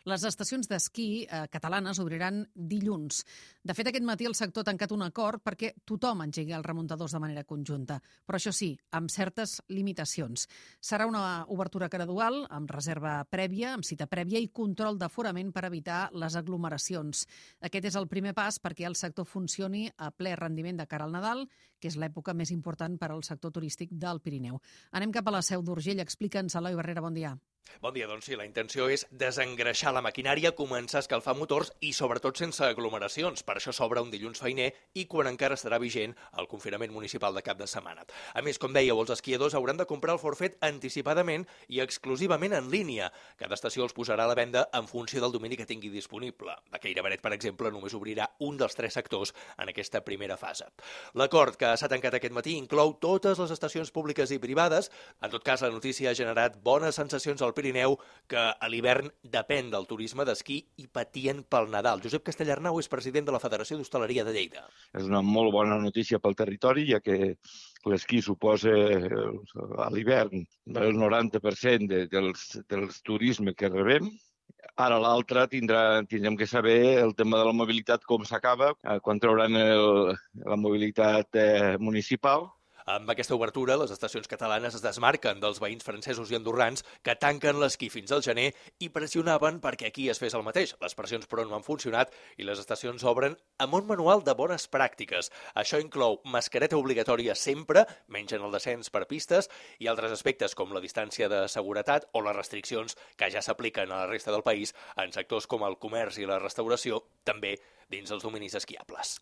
Les estacions d'esquí catalanes obriran dilluns. De fet, aquest matí el sector ha tancat un acord perquè tothom engegui els remuntadors de manera conjunta, però això sí, amb certes limitacions. Serà una obertura gradual, amb reserva prèvia, amb cita prèvia i control d'aforament per evitar les aglomeracions. Aquest és el primer pas perquè el sector funcioni a ple rendiment de cara al Nadal, que és l'època més important per al sector turístic del Pirineu. Anem cap a la Seu d'Urgell. Explica'ns, Eloi Barrera, bon dia. Bon dia, doncs sí, la intenció és desengreixar la maquinària, començar a escalfar motors i sobretot sense aglomeracions. Per això s'obre un dilluns feiner i quan encara estarà vigent el confinament municipal de cap de setmana. A més, com dèieu, els esquiadors hauran de comprar el forfet anticipadament i exclusivament en línia. Cada estació els posarà a la venda en funció del domini que tingui disponible. A Cairavaret, per exemple, només obrirà un dels 3 sectors en aquesta primera fase. L'acord que s'ha tancat aquest matí inclou totes les estacions públiques i privades. En tot cas, la notícia ha generat bones sensacions al Pirineu, que a l'hivern depèn del turisme d'esquí i patien pel Nadal. Josep Castellarnau és president de la Federació d'Hostaleria de Lleida. És una molt bona notícia pel territori, ja que l'esquí suposa a l'hivern el 90% dels turisme que rebem. Ara l'altre tindrem que saber el tema de la mobilitat, com s'acaba, quan trauran la mobilitat municipal. Amb aquesta obertura, les estacions catalanes es desmarquen dels veïns francesos i andorrans que tanquen l'esquí fins al gener i pressionaven perquè aquí es fes el mateix. Les pressions, però, no han funcionat i les estacions obren amb un manual de bones pràctiques. Això inclou mascareta obligatòria sempre, menys en el descens per pistes, i altres aspectes com la distància de seguretat o les restriccions que ja s'apliquen a la resta del país en sectors com el comerç i la restauració, també dins els dominis esquiables.